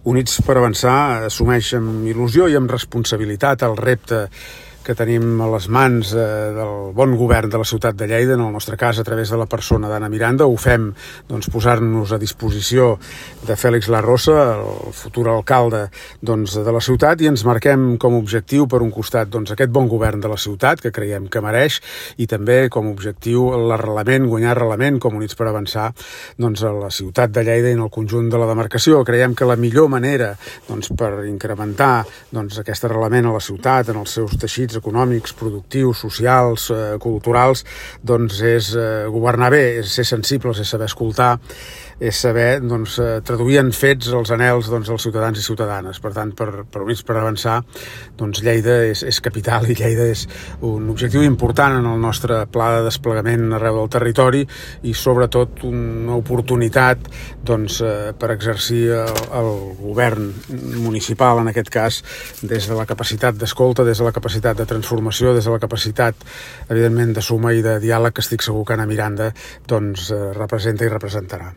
Units per Avançar assumeix amb il·lusió i amb responsabilitat el repte que tenim a les mans del bon govern de la ciutat de Lleida, en el nostre cas a través de la persona d'Anna Miranda. Ho fem posant-nos a disposició de Fèlix Larrosa, el futur alcalde de la ciutat, i ens marquem com a objectiu, per un costat, aquest bon govern de la ciutat, que creiem que mereix, i també com a objectiu l'arrelament, guanyar arrelament com Units per Avançar a la ciutat de Lleida i en el conjunt de la demarcació. Creiem que la millor manera per incrementar aquest arrelament a la ciutat, en els seus teixits econòmics, productius, socials, culturals, és governar bé, és ser sensibles, és saber escoltar, és saber traduir en fets els anhels dels ciutadans i ciutadanes. Per tant, per Units per Avançar, Lleida és capital i Lleida és un objectiu important en el nostre pla de desplegament arreu del territori i sobretot una oportunitat per exercir el govern municipal, en aquest cas, des de la capacitat d'escolta, des de la capacitat de transformació, des de la capacitat, evidentment, de suma i de diàleg que estic segur que Anna Miranda representa i representarà.